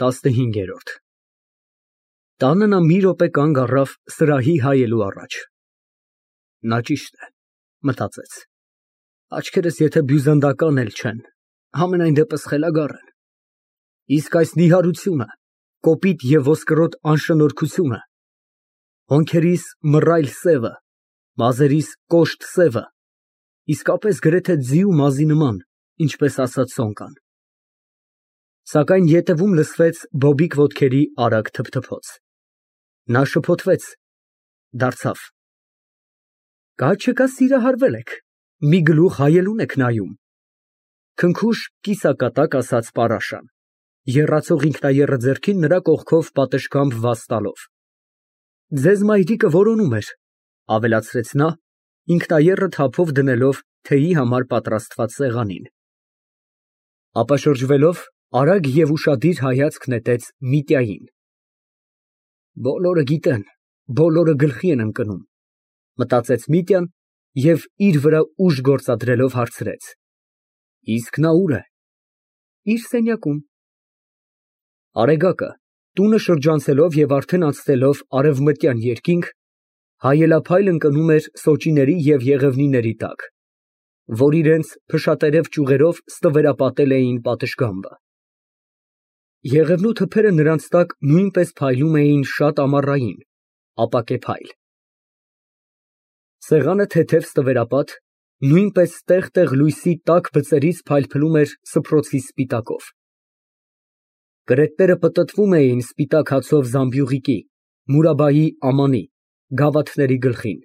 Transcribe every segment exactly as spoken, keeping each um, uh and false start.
ՏԱՍՆՀԻՆԳԵՐՈՐԴ Տանը նա մի րոպե կանգ առավ սրահի հայելու առաջ։ Նա ճիշտ է, մտածեց, աչքերս եթե բյուզանդական էլ չեն, համենայն դեպս խելագար են, իսկ այս նիհարությունը, կոպիտ և ոսկրոտ անշնորհքությունը, հոնքերիս մռայլ սևը, մազերիս կոշտ սևը, իսկապես գրեթե ձի ու մազի նման, ինչպես ասաց Սոնկան։ Սակայն ետևում լսվեց բոբիկ ոտքերի արագ թփթփոց։ Նա շփոթվեց, դարձավ։ Կա չկա սիրահարվել եք, մի գլուխ հայելուն եք նայում։ Քնքուշ կիսակատակ ասաց պարաշան, եռացող ինքնաեռը ձեռքին նրա կողքով պատշգամբ վազ տալով։ Ձեզ մայրիկը որոնում էր, ավելացրեց նա, ինքնաեռը թափով դնելով թեյի համար պատրաստված սեղանին։ Ապա շրջվելով, արագ և ուշադիր հայացք նետեց Միտյային։ Բոլորը գիտեն, բոլորը գլխի են ընկնում, մտածեց Միտյան և իր վրա ուժ գործադրելով հարցրեց. Իսկ նա ուր է։ Իր սենյակում։ Արեգակը, տունը շրջանցելով և արդեն անցնելով արևմտյան երկինք, հայելափայլ ընկնում էր սոճիների և եղևնիների տակ, որ իրենց փշատերև ճյուղերով ստվերապատել էին պատշգամբը։ Եղևնու թփերը նրանց տակ նույնպես փայլում էին շատ ամառային, ապակե փայլ։ Սեղանը թեթև ստվերապատ, նույնպես տեղ֊տեղ լույսի տաք բծերից փայլփլում էր սփռոցի սպիտակով։ Կրետները պտտվում էին սպիտակ հացով Զամբյուղիկի, Մուրաբայի ամանի, գավաթների գլխին,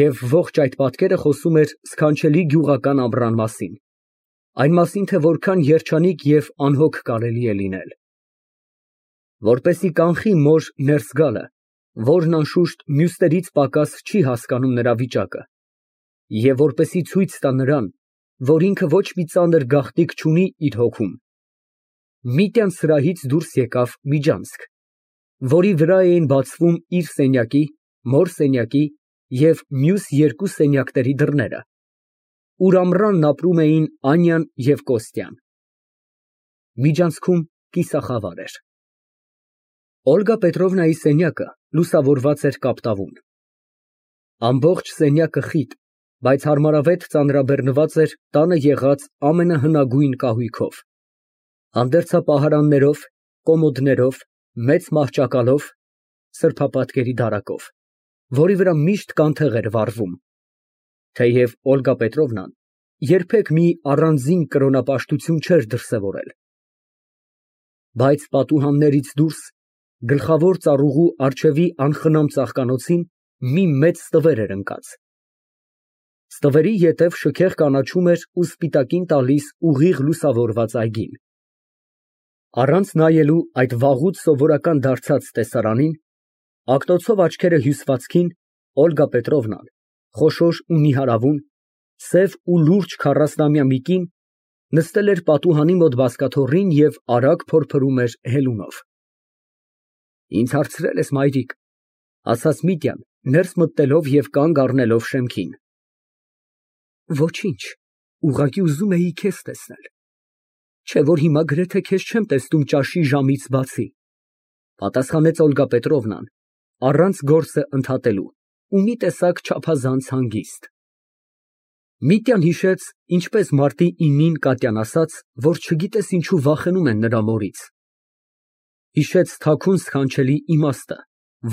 և ողջ այդ պատկերը խոսում էր սքանչելի գյուղական ամռան մասին, այն մասին, թե որքան երջանիկ և անհոգ կարելի է լինել։ Որպեսզի կանխի մոր ներս գալը, որն անշուշտ մյուսներից պակաս չի հասկանում նրա վիճակը, և որպեսզի ցույց տա նրան, որ ինքը ոչ մի ծանր գաղտնիք չունի իր հոգում, Միտյան սրահից դուրս եկավ միջանցք, որի վրա էին բացվում իր սենյակի, մոր սենյակի և մյուս երկու սենյակների դռները, ուր ամռանն ապրում էին Անյան և Կոստյան։ Միջանցքում կիսախավար էր։ Օլգա Պետրովնայի սենյակը լուսավորված էր կապտավուն։ Ամբողջ սենյակը խիտ, բայց հարմարավետ ծանրաբեռնված էր տանը եղած ամենահնագույն կահույքով, հանդերձապահարաններով, կոմոդներով, մեծ մահճակալով, սրբապատկերի դարակով, որի վրա միշտ կանթեղ էր վառվում, թեև Օլգա Պետրովնան երբեք մի առանձին կրոնապաշտություն չէր դրսևորել։ Բայց պատուհաններից դուրս գլխավոր ծառուղու առջևի անխնամ ծաղկանոցին մի մեծ ստվեր էր ընկած։ Ստվերի ետև շքեղ կանաչում էր ու սպիտակին տալիս ուղիղ լուսավորված այգին։ Առանց նայելու այդ վաղուց սովորական դարձած տեսարանին, ակնոցով աչքերը հյուսվածքին, Օլգա Պետրովնան, խոշոր ու նիհարավուն, սև ու լուրջ քառասնամյա մի կին, նստել էր պատուհանի մոտ բազկաթոռին և արագ փորփրում էր հելունով։ Ինձ հարցրել ես, մայրիկ, ասաց Միտյան, ներս մտնելով և կանգ առնելով շեմքին։ Ոչինչ, ուղղակի ուզում էի քեզ տեսնել, չէ՞ որ հիմա գրեթե քեզ չեմ տեսնում ճաշի ժամից բացի, պատասխանեց Օլգա Պետրովնան, առանց գործը ընդհատելու ու մի տեսակ չափազանց հանգիստ։ Միտյան հիշեց, ինչպես մարտի իննին Կատյան ասաց, որ չգիտես ինչու վախենում են նրա մորից։ Հիշեց թաքուն սքանչելի իմաստը,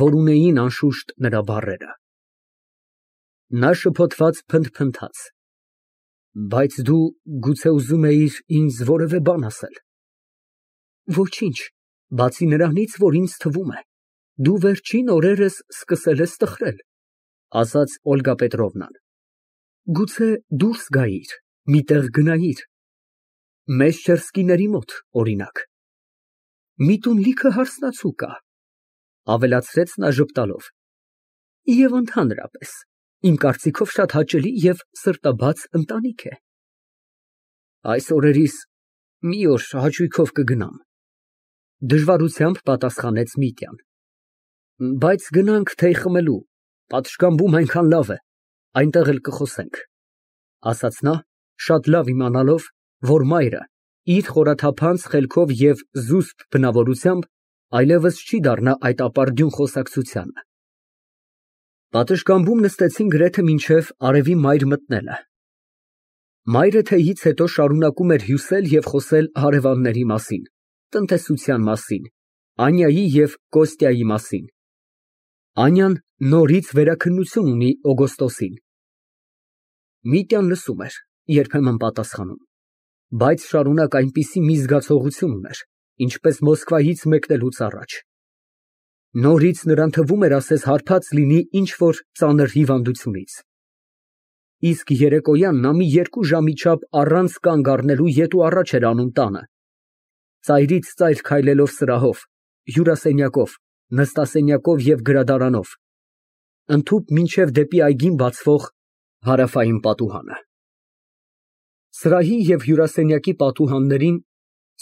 որ ունեին անշուշտ նրա բառերը։ Նա շփոթված փնթփնթաց. Բայց դու գուցե ուզում էիր ինձ որևէ բան ասել։ Ոչինչ, բացի նրանից, որ ինձ թվում է, դու վերջին օրերս սկսել ես տխրել, ասաց Օլգա Պետրովնան։ Գուցե դուրս գայիր, մի տեղ գնայիր, մեզ չերսկիների մոտ, օրինակ։ Մի տուն լիքը հարսնացու կա, ավելացրեց նա ժպտալով, և ընդհանրապես, իմ կարծիքով շատ հաճելի և սրտաբաց ընտանիք է։ Այս օրերիս մի օր հաճույքով կգնամ, դժվարությամբ պատասխանեց Միտյան։ Բայց գնանք թեյ խմելու, պատշգամբում այնքան լավ է, այնտեղ էլ կխոսենք, ասաց նա, շատ լավ իմանալով, որ մայրը իր խորաթափանց խելքով և զուսպ բնավորությամբ այլևս չի դառնա այդ ապարդյուն խոսակցությանը։ Պատշգամբում նստեցին գրեթե մինչև արևի մայր մտնելը։ Մայրը թեյից հետո շարունակում էր հյուսել և խոսել հարևանների մասին, տնտեսության մասին, Անյայի և Կոստյայի մասին։ Անյան նորից վերաքննություն ունի Օգոստոսին։ Միտյան լսում էր, երբեմն պատասխանում, բայց շարունակ այնպիսի մի զգացողություն ուներ, ինչպես Մոսկվայից մեկնելուց առաջ։ Նորից նրան թվում էր, ասես հարբած լինի ինչ֊որ ծանր հիվանդությունից։ Իսկ երեկոյան նա մի երկու ժամի չափ առանց կանգ առնելու ետ ու առաջ էր անում տանը, ծայրից ծայր քայլելով սրահով, հյուրասենյակով, նստասենյակով և գրադարանով, ընդհուպ մինչև դեպի այգին բացվող հարավային պատուհանը։ Սրահի և հյուրասենյակի պատուհաններին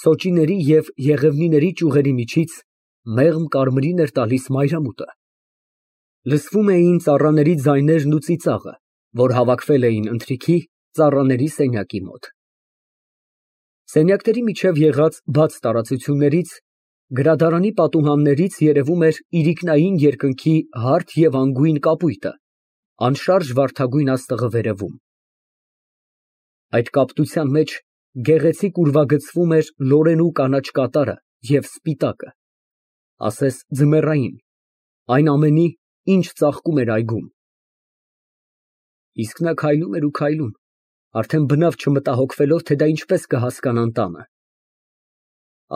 սոճիների և եղևնիների ճյուղերի միջից մեղմ կարմիրին էր տալիս մայրամուտը։ Լսվում էին ծառաների ձայներն ու ծիծաղը, որ հավաքվել էին ընթրիքի, ծառաների սենյակի մոտ։ Սենյակների միջև եղած բաց տարածություններից, գրադարանի պատուհաններից երևում էր իրիկնային երկնքի հարթ և անգույն կապույտը, անշարժ վարդագույն աստղը վերևում։ Այդ կապտության մեջ գեղեցիկ ուրվագծվում էր լորենու կանաչ կատարը և սպիտակը, ասես ձմեռային, այն ամենի, ինչ ծաղկում էր այգում։ Իսկ նա քայլում էր ու քայլում, արդեն բնավ չմտահոգվելով, թե դա ինչպես կհասկանան տանը։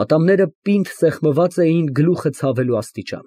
Ատամները պինդ սեղմված էին գլուխը ցավելու աստիճան։